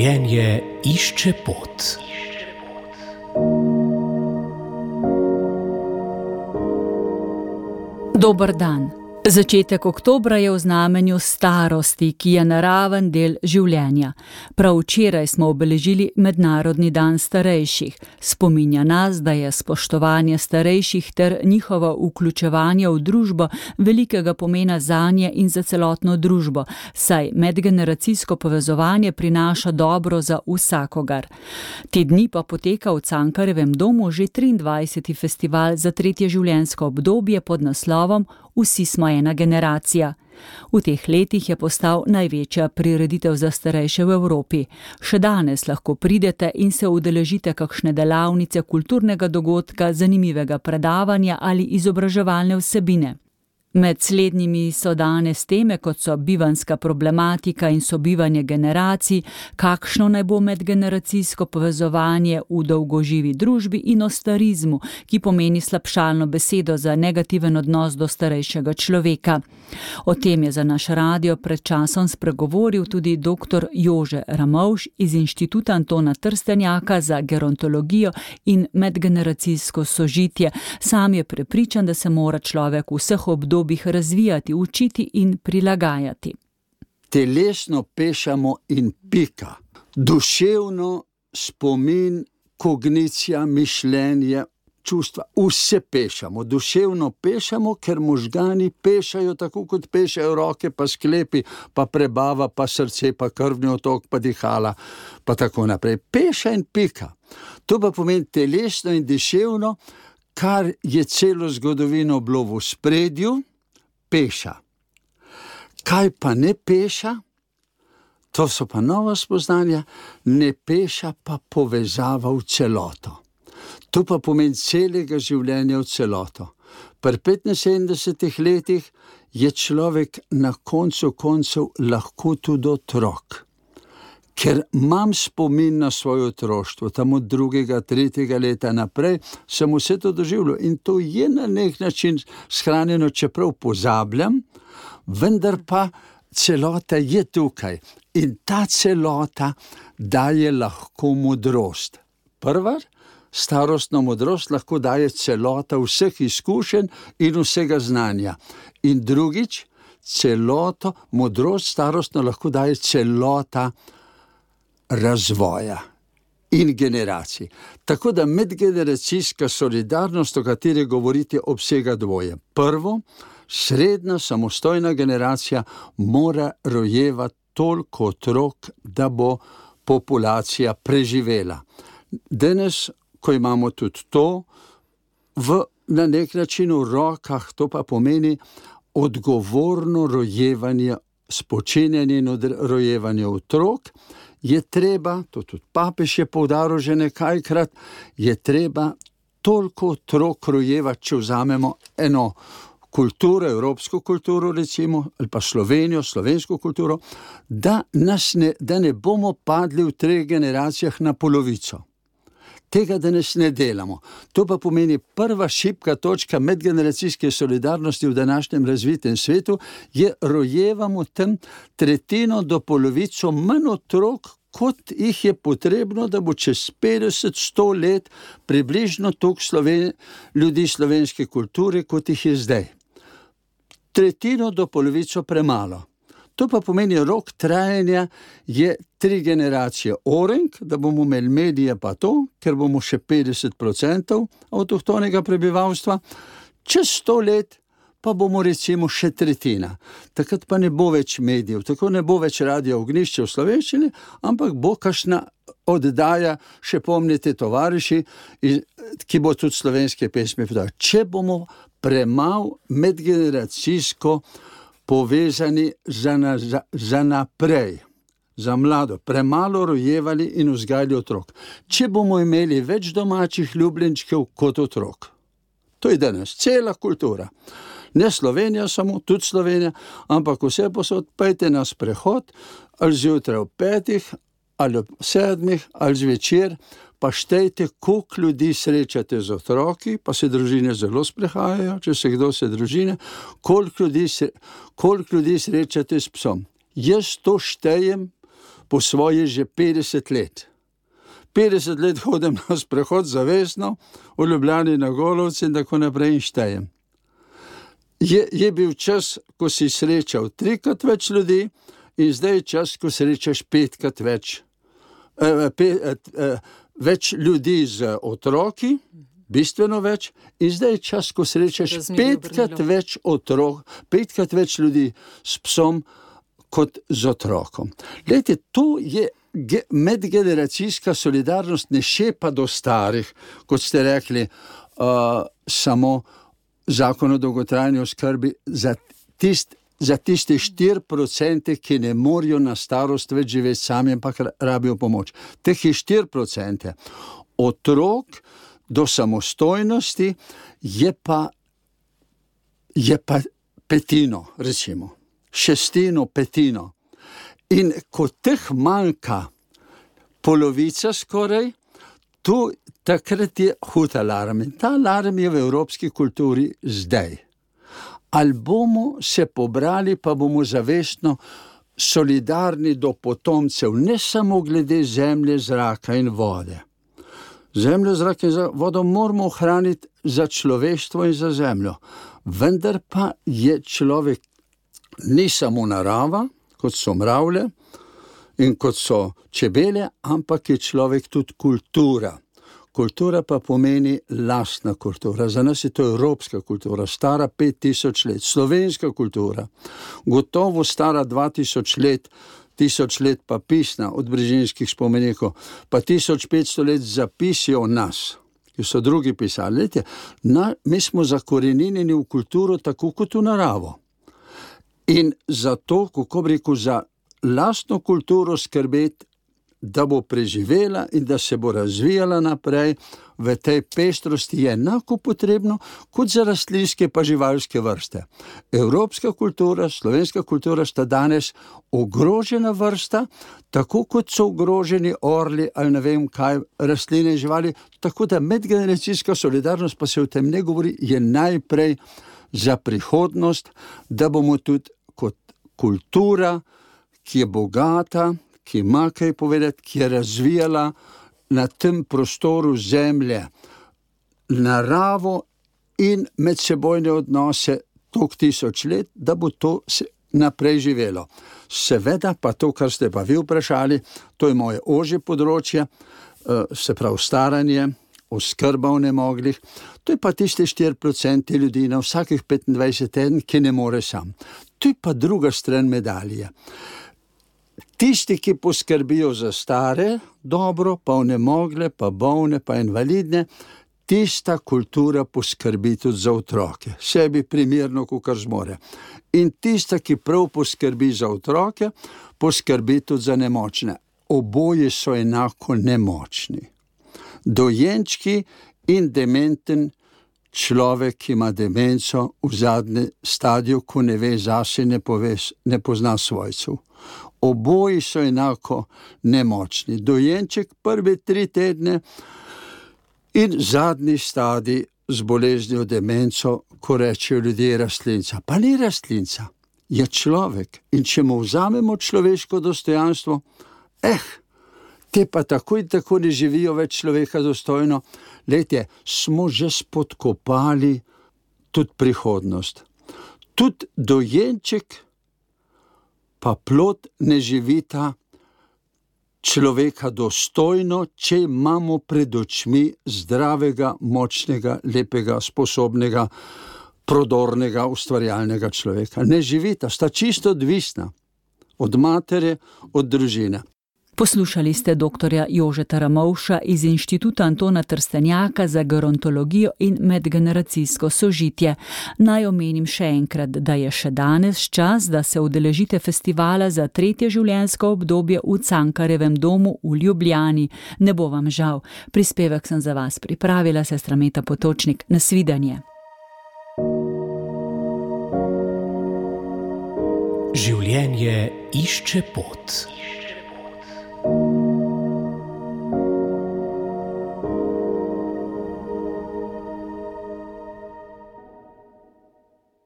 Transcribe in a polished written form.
Življenje išče pot. Dober dan. Začetek oktobra je v znamenju starosti, ki je naraven del življenja. Prav včeraj smo obeležili Mednarodni dan starejših. Spominja nas, da je spoštovanje starejših ter njihovo vključevanje v družbo velikega pomena zanje in za celotno družbo, saj medgeneracijsko povezovanje prinaša dobro za vsakogar. Te dni pa poteka v Cankarjevem domu že 23. festival za tretje življenjsko obdobje pod naslovom Vsi smo ena generacija. V teh letih je postal največja prireditev za starejše v Evropi. Še danes lahko pridete in se udeležite kakšne delavnice, kulturnega dogodka, zanimivega predavanja ali izobraževalne vsebine. Med slednjimi so danes teme, kot so bivanjska problematika in sobivanje generacij, kakšno naj bo medgeneracijsko povezovanje v dolgoživi družbi in o starizmu, ki pomeni slabšalno besedo za negativen odnos do starejšega človeka. O tem je za naš radio pred časom spregovoril tudi dr. Jože Ramovš iz Inštituta Antona Trstenjaka za gerontologijo in medgeneracijsko sožitje. Sam je prepričan, da se mora človek v vseh obdobjih razvijati, učiti in prilagajati. Telesno pešamo in pika. Duševno spomin, kognicija, mišljenje, čustva, vse pešamo. Duševno pešamo, ker možgani pešajo tako, kot pešajo roke, pa sklepi, pa prebava, pa srce, pa krvni otok, pa dihala, pa tako naprej. Peša in pika. To pa pomeni telesno in duševno, kar je celo zgodovino bilo v spredju, peša. Kaj pa ne peša? To so pa nova spoznanja, ne peša pa povezava v celoto. To pa pomeni celega življenja v celoto. Pri 75 letih je človek na koncu koncev lahko tudi otrok. Ker imam spomin na svoje otroštvo, tam od 2., 3. leta naprej, sem vse to doživljal in to je na nek način shranjeno, čeprav pozabljam, vendar pa celota je tukaj in ta celota daje lahko modrost. Prva, starostno modrost lahko daje celota vseh izkušenj in vsega znanja. In drugič, celoto, modrost starostno lahko daje celota razvoja in generacij. Tako da medgeneracijska solidarnost, o kateri govorite, obsega dvoje. Prvo, srednja samostojna generacija mora rojevati toliko otrok, da bo populacija preživela. Danes, ko imamo tudi to, na nek način v rokah, to pa pomeni odgovorno rojevanje, spočinjanje in rojevanje otrok, je treba, to tudi papež je poudaril že nekajkrat, je treba toliko otrok rojevati, če vzamemo eno kulturo, evropsko kulturo recimo, ali pa Slovenijo, slovensko kulturo, da ne bomo padli v 3 generacijah na polovico. Tega danes ne delamo. To pa pomeni prva šibka točka medgeneracijske solidarnosti v današnjem razvitem svetu, je rojevamo tam 1/3 do polovico manj otrok, kot jih je potrebno, da bo čez 50-100 let približno toliko ljudi slovenske kulture, kot jih je zdaj. 1/3 do polovico premalo. To pa pomeni, rok trajanja je 3 generacije orenk, da bomo imeli medije pa to, ker bomo še 50% avtohtonega prebivalstva, čez 100 let pa bomo recimo še 1/3. Takrat pa ne bo več medijev, tako ne bo več Radia Ognjišče v slovenščini, ampak bo kakšna oddaja, še pomnite tovariši, ki bo tudi slovenske pesmi podala. Če bomo premalo medgeneracijsko povezani za naprej, za mlado, premalo rojevali in vzgajali otrok. Če bomo imeli več domačih ljubljenčkov kot otrok. To je danes cela kultura. Ne Slovenija samo, tudi Slovenija, ampak vse posod, pejte na sprehod, ali zjutraj ob 5, ali ob 7, ali zvečer, pa štejte, koliko ljudi srečate z otroki, pa se družine zelo sprehajajo, če se kdo se družine, koliko ljudi srečate s psom. Jaz to štejem po svoje že 50 let. 50 let hodim na sprehod zavestno, v Ljubljani na Golovci in tako naprej in štejem. Je bil čas, ko si srečal 3-krat več ljudi in zdaj je čas, ko srečaš 5-krat več ljudi z otroki, bistveno več, in zdaj je čas, ko srečaš 5-krat več otrok, 5-krat več ljudi s psom kot z otrokom. Glejte, to je medgeneracijska solidarnost, ne šepa do starih, kot ste rekli, samo zakon o dolgotrajni oskrbi za tiste 4%, ki ne morajo na starost več živeti sami, ampak rabijo pomoč. Teh je 4%. Otrok do samostojnosti je pa petino, recimo. 1/6, 1/5. In ko teh manjka polovica skoraj, takrat je hud alarm. In ta alarm je v evropski kulturi zdaj. Ali bomo se pobrali, pa bomo zavestno solidarni do potomcev, ne samo glede zemlje, zraka in vode. Zemljo, zrak in vodo moramo ohraniti za človeštvo in za zemljo. Vendar pa je človek ni samo narava, kot so mravlje in kot so čebele, ampak je človek tudi kultura. Kultura pa pomeni lastna kultura. Za nas je to evropska kultura, stara 5000 let. Slovenska kultura, gotovo stara 2000 let, 1000 let pa pisna od brežinskih spomenikov, pa 1500 let zapisi o nas, ki so drugi pisali. Lejte, mi smo zakorenjeni v kulturo tako kot v naravo. In zato, kako bi rekel, za lastno kulturo skrbeti, da bo preživela in da se bo razvijala naprej v tej pestrosti, je enako potrebno kot za rastlinske pa živalske vrste. Evropska kultura, slovenska kultura sta danes ogrožena vrsta, tako kot so ogroženi orli ali ne vem kaj, rastline in živali, tako da medgeneracijska solidarnost, pa se o tem ne govori, je najprej za prihodnost, da bomo tudi kot kultura, ki je bogata, ki ima kaj povedati, ki je razvijala na tem prostoru zemlje naravo in medsebojne odnose toliko 1000 let, da bo to naprej živelo. Seveda pa to, kar ste pa vi vprašali, to je moje ožje področje, se pravi staranje, oskrba v nemoglih, to je pa tiste 4% ljudi na vsakih 25 teden, ki ne more sam. To je pa druga stran medalje. Tisti, ki poskrbijo za stare, dobro, pa onemogle, pa bolne, pa invalidne, tista kultura poskrbi tudi za otroke, sebi primerno, kakor zmore. In tista, ki prav poskrbi za otroke, poskrbi tudi za nemočne. Oboje so enako nemočni. Dojenčki in dementen človek, ki ima demenco v zadnjem stadiju, ko ne ve zase, ne pozna svojcev. Oboji so enako nemočni. Dojenček prve 3 tedne in zadnji stadij z boleznijo demenco, ko rečejo ljudje rastlinca. Pa ni rastlinca, je človek. In če mu vzamemo človeško dostojanstvo, te pa tako in tako ne živijo več človeka dostojno. Lejte, smo že spodkopali tudi prihodnost. Tudi dojenček pa plod ne živita človeka dostojno, če imamo pred očmi zdravega, močnega, lepega, sposobnega, prodornega, ustvarjalnega človeka. Ne živita, sta čisto odvisna od matere, od družine. Poslušali ste doktorja Jožeta Ramovša iz Inštituta Antona Trstenjaka za gerontologijo in medgeneracijsko sožitje. Naj omenim še enkrat, da je še danes čas, da se udeležite festivala za 3. življenjsko obdobje v Cankarjevem domu v Ljubljani. Ne bo vam žal. Prispevek sem za vas pripravila sestra Meta Potočnik. Nasvidenje. Življenje išče pot.